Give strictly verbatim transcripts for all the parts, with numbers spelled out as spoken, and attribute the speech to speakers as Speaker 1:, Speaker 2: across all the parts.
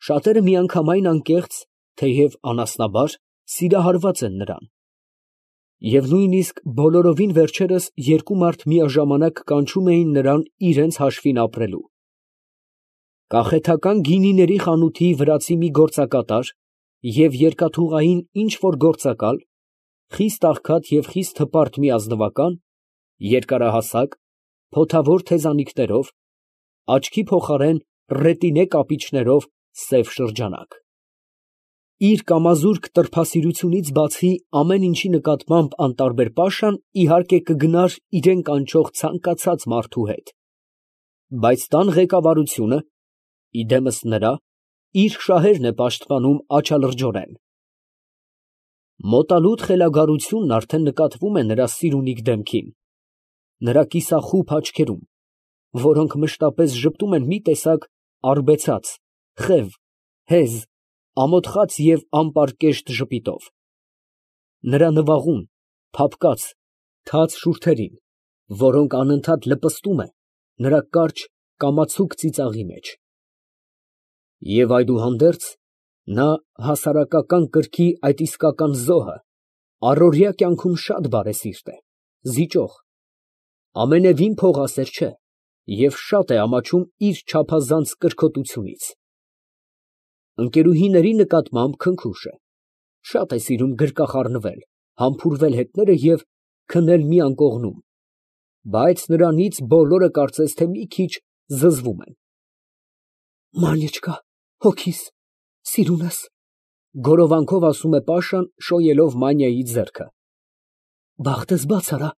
Speaker 1: Շատերը միանգամայն անկեղծ, թեև անասնաբար, սիրահարված են նրան, և նույնիսկ բոլորովին վերջերս երկու մարդ միաժամանակ կանչում էին նրան իրանց հաշվին ապրելու. կախեթական գինիների խանութի վրացի մի գործակատար և երկաթուղային ինչ֊որ գործակալ, խիստ աղքատ և խիստ հպարտ մի ազնվական, երկարահասակ, փոթավոր թեզանիքներով, աչքի փոխարեն ռետինե կապիչներով սև շրջանակ։ Իր կամազուրկ տրփասիրությունից բացի ամեն ինչի նկատմամբ անտարբեր Պաշան, իհարկե, կգնար իրան կանչող ցանկացած մարդու հետ, բայց տան ղեկավարությունը, ի դեմս նրա, իր շահերն է պաշտպանում աչալրջորեն։ Մոտալուտ խելագարությունն արդեն նկատվում է նրա սիրունիկ դեմքին, նրա կիսախուբ աչքերում, որոնք մշտապես ժպտում են մի տեսակ արբեցած, խև, հեզ, ամոթխած և անպարկեշտ ժպիտով, նրա նվաղուն, փափկած, թաց շուրթերին, որոնք անընդհատ լպստում է նրա կարճ, կամացուկ ծիծաղի մեջ։ Եվ այդուհանդերձ, նա հասարակական կրքի այդ իսկական զոհը, առօրյա կյանքում շատ բարեսիրտ է, զիջող, ամենևին փողասեր չէ և շատ է ամաչում իր չափազանց կրքոտությունից։ Ընկերուհիների նկատմամբ քնքուշ է, շատ է սիրում գրկախառնվել, համբուրվել հետները և քնել մի անկողնում, բայց նրանից բոլորը կարծես թե մի քիչ զզվում են։ «Մանյաչկա, հոգիս, սիրունս», գորովանքով ասում է Պաշան, շոյելով Մանիայի ձեռքը։ «Բախտս բաց արա,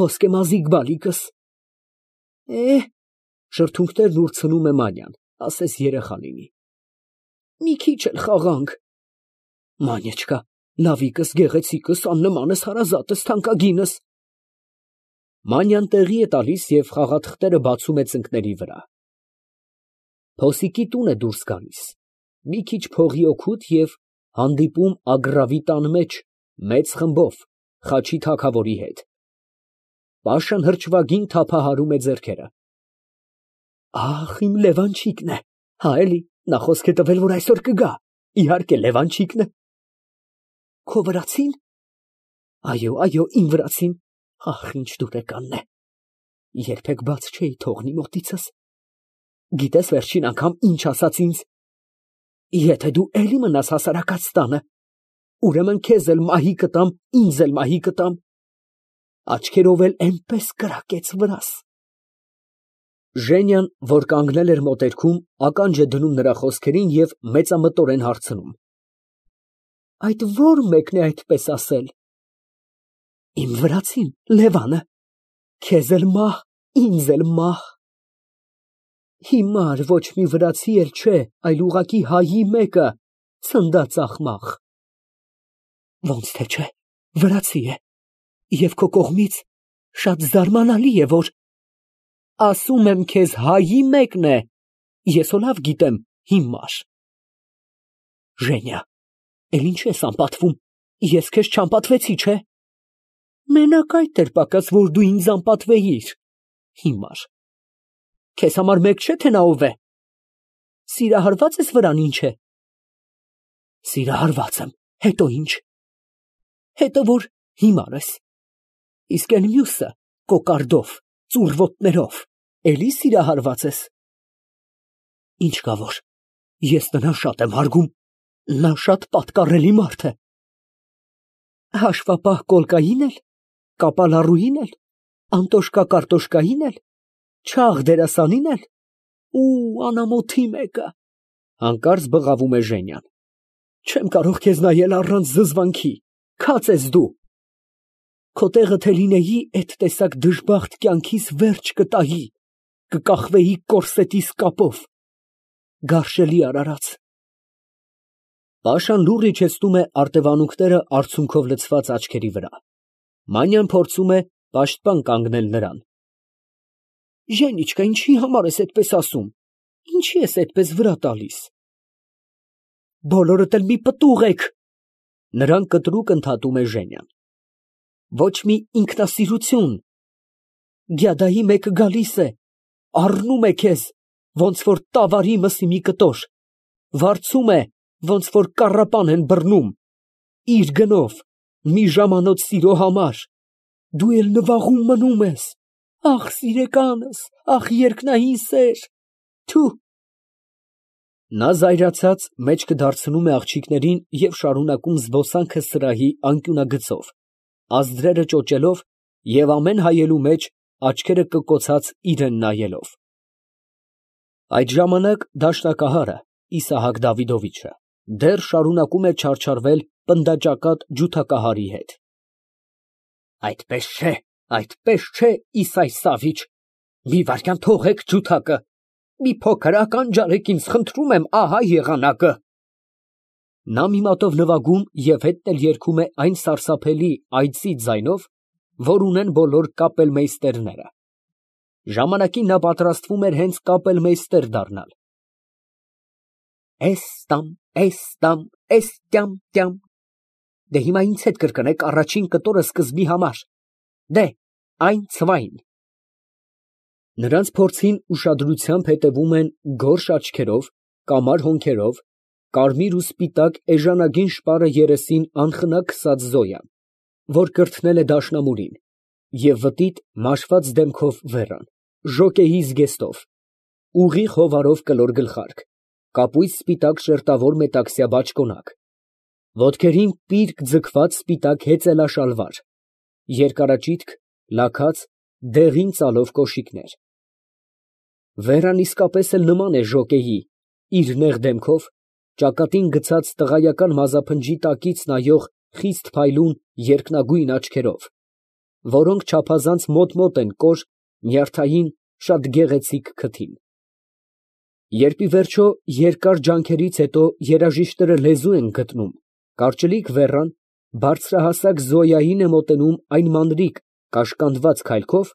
Speaker 1: ոսկե մազիկ բալիկս»։ «Է, է, շրթունքներն ուրցնում է Մանյան, ասես երեխա լինի, մի քիչ էլ խաղանք»։ «Մանյաչկա, լավիկս, գեղեցիկս, աննմանս, հարազատս, թանկագինս»։ Մանյան տեղի է տալիս և խաղաթղթերը բացում է ծնկների վրա։ Փոսիկի տուն է դուրս գալիս, մի քիչ փողի օգուտ և հանդիպում Ագռավի տան մեջ մեծ խմբով Խաչի թագավորի հետ։ Պաշան հրճվագին թափահարում է ձեռքերը։ Ախ, իմ Լևանչիկն է, հա էլի, նա խոսք է տվել, որ այսօր կգա, իհարկե Լևանչիկն է։ Քո վրացի՞ն։ Այո, այո, իմ վրացին, ախ, ինչ դուրեկանն է, երբեք բաց չէի թողնի մոտիցս։ Գիտես վերջին անգամ ինչ ասաց ինձ։ Եթե դու էլի մնաս հասարակած տանը, ուրեմն քեզ էլ մահի կտամ, ինձ էլ մահի կտամ։ Աչքերով էլ էնպես կրակեց վրաս։ Ժենյան, որ կանգնել էր մոտերքում, ականջ է դնում նրա խոսքերին և մեծամտորեն հարցնում. Այդ ո՞ր մեկն է այդպես ասել։ Իմ վրացին, Լևանը, քեզ էլ մահ, ինձ էլ մահ։ Հիմար ոչ մի վրացի էլ չէ, այլ ուղղակի հայի մեկը, ցնդած աղմաղ։ Ոնց թե չէ, վրացի է, և քո կողմից շատ զարմանալի է, որ… Ասում եմ քեզ, հայի մեկն է, ես հո լավ գիտեմ, հիմար։ Ժենիա, էլ ինչ ես անպատվում, ես քեզ չանպատվեցի, չէ։ Մենակ այդ էր պակաս, որ դու ինձ անպատվեիր, հիմար։ Քեզ համար մեկ չէ, թե նա ով է։ Սիրահարված ես վրան, ինչ է։ Սիրահարված եմ, հետո ինչ։ Հետո որ հիմար ես։ Իսկ էլ մյուսը, կոկարդով, ծուռ ոտներով, էլի սիրահարված ես։ Ինչ կա որ, ես նրան շատ եմ հարգում, նա շատ պատկառելի մարդ է։ Հաշվապահ կոլկայի՞ն էլ, կապալառուհի՞ն էլ, անտոշկա կարտոշկայի՞ն էլ, չաղ դերասանի՞ն էլ, ու անամոթի մեկը։ Հանկարծ բղավում է Ժենյան։ Չեմ կարող քեզ նայել առանց զզվանքի, քաց ես դու։ Քո տեղը թե լինեի, էդ տեսակ դժբախտ կյանքիս վերջ կտայի, կկախվեի կորսետիս կապով։ Գարշելի արարած։ Պաշան լուռ իջեցնում է արտևանունքները արցունքով լցված աչքերի վրա։ Մանյան փորձում է պաշտպան կանգնել նրան։ Ժենիչկա, ինչի համար ես այդպես ասում, ինչի ես այդպես վրա տալիս։ Բոլորդ էլ մի պտուղ եք։ Նրան կտրուկ ընդհատում է Ժենյան։ Ոչ մի ինքնասիրություն։ Գյադայի մեկը գալիս է, առնում է քեզ, ոնց որ տավարի մսի մի կտոր, վարձում է, ոնց որ կառապան են բռնում, իր գնով, մի ժամանոց սիրո համար, դու էլ նվաղում մնում ես, ախ, սիրեկանս, ախ, երկնային սեր, թու… Նա զայրացած մեջքը դարձնում է աղջիկներին և շարունակում զբոսանքը սրահի անկյունագծով, ազդրերը ճոճելով և ամեն հայելու մեջ աչքերը կկոցած իրան նայելով։ Այդ ժամանակ դաշնակահարը Իսահակ Դավիդովիչը դեռ շարունակում է չարչարվել պնդաճակատ ջութակահարի հետ։ Այդպես չէ, այդպես չէ, Իսայ Սավիչ, մի վայրկյան թողեք ջութակը, մի փոքր ականջարեք ինձ, խնդրում եմ, ահա եղանակը։ Նա մի մատով նվագում և հետն էլ երգում է այն սարսափելի այծի ձայնով, որ ունեն բոլոր կապելմեյստերները։ Ժամանակին նա պատրաստվում էր հենց կապելմեյստեր դառնալ։ Էս տամ, էս տամ, էս տյամ տյամ, դե հիմա ինձ հետ կրկնեք առաջին կտորը սկզբի համար, դե, այնցվայն։ Նրանց փորձին ուշադրությամբ հետևում են գորշ աչքերով, կամար հոնքերով, կարմիր ու սպիտակ էժանագին շպարը երեսին անխնա քսած Զոյան, որ կրթնել է դաշնամուրին, և վտիտ մաշված դեմքով Վերան, ժոկեհի զգեստով, ուղիղ հովարով կլոր գլխարկ, կապույտ սպիտակ շերտավոր մետաքսյա բաճկոնակ, ոտքերին պիրկ ձգված սպիտակ հեծելաշալվար, երկարաճիթք, լաքած, դեղին ծալով կոշիկներ։ Վերան իսկապես էլ նման է ժոկեհի, իր նեղ դեմքով, ճակատին գցած տղայական մազափնջի տակից նայող խիստ փայլուն երկնագույն աչքերով, որոնք չափազանց մոտ֊մոտ են կոր, նյարդային, շատ գեղեցիկ քթին։ Երբ ի վերջո երկար ջանքերից հետո երաժիշտները լեզու են գտնում, կարճլիկ Վերան բարձրահասակ Զոյային է մոտենում այն մանրիկ կաշկանդված քայլքով,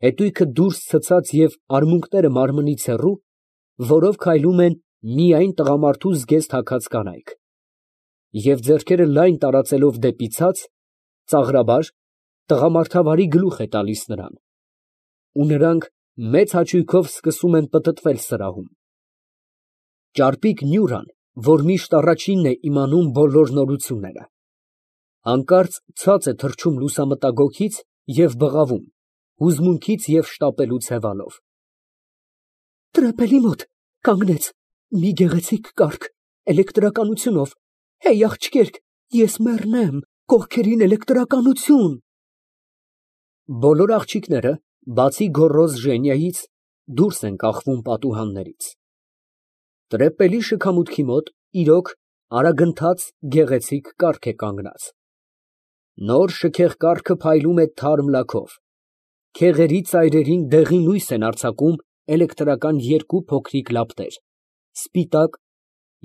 Speaker 1: հետույքը դուրս ցցած և արմունկները մարմնից հեռու, որով քայլում են միայն տղամարդու զգեստ հագած կանայք, և ձեռքերը լայն տարածելով դեպի ցած, ծաղրաբար, տղամարդավարի գլուխ է տալիս նրան, ու նրանք մեծ հաճույքով սկսում են պտտվել սրահում։ Ճարպիկ Նյուրան, որ միշտ առաջինն է իմանում բոլոր նորությունները, հանկարծ ցած է թռչում լուսամտագոգից և բղավում, հուզմունքից և շտապելուց հևալով։ Տրեպելի մոտ կանգնեց մի գեղեցիկ կառք, էլեկտրականությունով, հեյ, աղջիկերք, ես մեռնեմ, կողքերին էլեկտրականություն… Բոլոր աղջիկները, բացի գոռոզ Ժենիայից, դուրս են կախվում պատուհաններից։ Տրեպելի շքամուտքի մոտ, իրոք, արագընթաց, գեղեցիկ կառք է կանգնած։ Նոր շքեղ կառքը փայլում է թարմ լաքով, քեղերի ծայրերին դեղին լույս են արձակում էլեկտրական երկու փոքրիկ լապտեր, սպիտակ,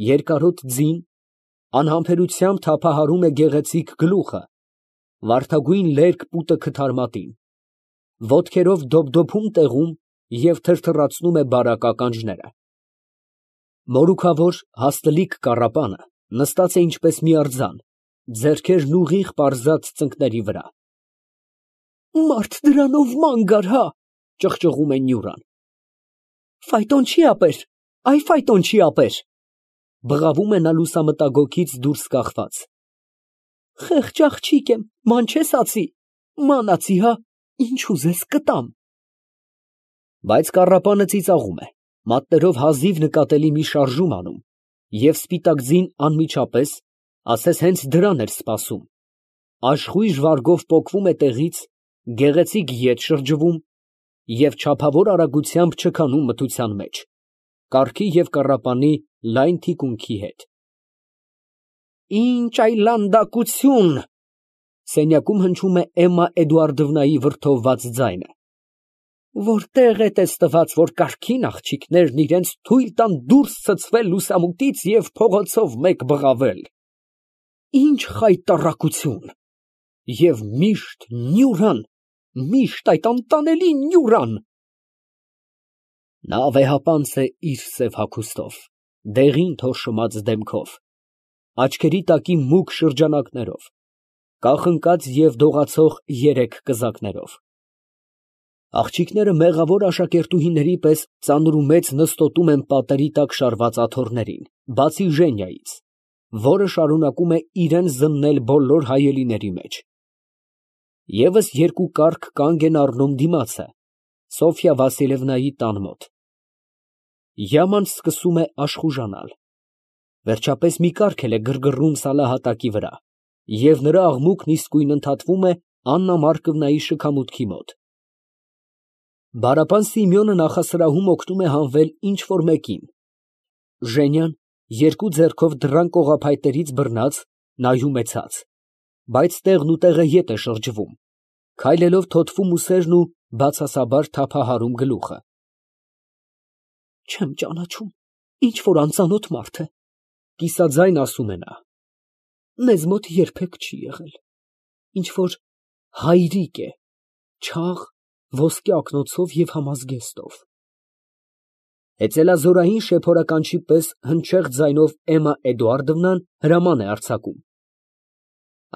Speaker 1: երկարոտ ձին, անհամբերությամբ թափահարում է գեղեցիկ գլուխը, վարդագույն լերկ պուտը քթարմատին, ոտքերով դոփդոփում տեղում և թրթռացնում է բարակ ականջները։ Մորուքավոր, հաստլիկ կառապանը նստած է ինչպես մի արձան, ձեռքերն ուղիղ պարզած ծնկների վրա։ Մարդ դրանով ման գար, հա… ճղճղում է Նյուրան։ Ֆայտոն չի ապեր, այ ֆայտոն չի ապեր… բղավում է նա լուսամտագոգից դուրս կախված։ Խեղճ աղջիկ եմ, ման չես ածի, ման ածի, հա, ինչ ուզես կտամ… Բայց կառապանը ծիծաղում է, մատներով հազիվ նկատելի մի շարժում անում, և սպիտակ ձին անմիջապես, ասես հենց դրան էր սպասում, աշխույժ վարգով պոկվում է տեղից, գեղեցիկ ետ շրջվում և չափավոր արագությամբ չքանում մթության մեջ, կառքի և կառապանի լայն թիկունքի հետ։ Ինչ այլանդակություն… սենյակում հնչում է Էմմա Էդուարդովնայի վրդովված ձայնը։ Որտե՞ղ է տեսնված, որ կառքին աղջիկներն իրանց թույլ տան դուրս ցցվել լուսամուտից և փողոցով մեկ բղավել… Ինչ խայտառակություն… Եվ միշտ Նյուրան… միշտ այդ անտանելի Նյուրան… Նա վեհապանծ է իր սև հագուստով, դեղին թորշոմած դեմքով, աչքերի տակի մուգ շրջանակներով, կախնկած և դողացող երեք կզակներով։ Աղջիկները մեղավոր աշակերտուհիների պես ծանր ու մեծ նստոտում են պատերի տակ շարված աթոռներին, բացի Ժենիայից, որը շարունակում է իրան զննել բոլոր հայելիների մեջ։ Եվս երկու կառք կանգ են առնում դիմացը, Սոֆյա Վասիլևնայի տան մոտ։ Յաման սկսում է աշխուժանալ։ Վերջապես մի կառք էլ է գրգռում սալահատակի վրա, և նրա աղմուկն իսկույն ընդհատվում է Աննա Մարկովնայի շքամուտքի մոտ։ Բարապան Սիմեոնը նախասրահում օգնում է հանվել ինչ֊որ մեկին։ Ժենյան, երկու ձեռքով դռան կողափայտերից բռնած, նայում է ցած, բայց տեղնուտեղը ետ է շրջվում, քայլելով թոթվում ուսերն ու բացասաբար թափահարում գլուխը։ Չեմ ճանաչում, ինչ֊որ անծանոթ մարդ է, կիսաձայն ասում է նա։ Մեզ մոտ երբեք չի եղել, ինչ֊որ հայրիկ է, չաղ, ոսկե ակնոցով և համազգեստով։ Հեծելազորային շեփորականչի պես հնչեղ ձայնով Էմմա Էդուարդովնան հրաման է արձակում.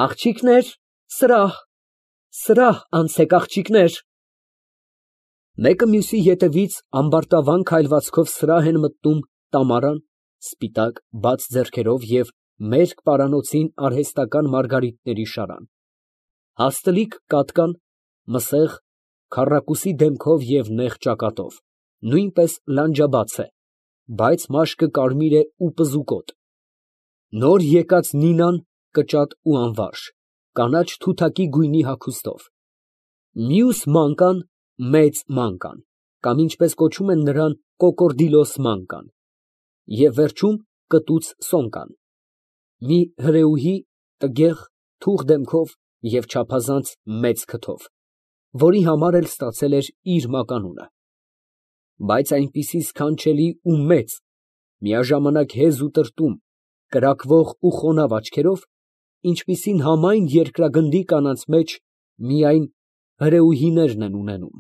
Speaker 1: Աղջիկներ, սրահ, սրահ անցեք, աղջիկներ։ Մեկը մյուսի ետևից ամբարտավան քայլվածքով սրահ են մտնում Տամարան, սպիտակ, բաց ձեռքերով և մերկ պարանոցին արհեստական մարգարիտների շարան, հաստլիկ կատկան, մսեղ, քառակուսի դեմքով և նեղ ճակատով, նույնպես լանջաբաց է, բայց մաշկը կարմիր է ու պզուկոտ, նոր եկած Նինան կճատ ու անվարժ, կանաչ թութակի գույնի հագուստով, մյուս մանկան մեծ մանկան, կամ ինչպես կոչում են նրան կոկորդիլոս մանկան, և վերջում կտուց Սոնկան, մի հրեուհի, տգեղ, թուխ դեմքով և չափազանց մեծ քթով, որի համար էլ ստացել էր իր մականունը, բայց այնպիսի սքանչելի ու մեծ, միաժամանակ հեզ ու տրտում, կրակվող ու խոնավ աչքերով, ինչպիսին համայն երկրագնդի կանանց մեջ միայն հրեուհիներն են ունենում։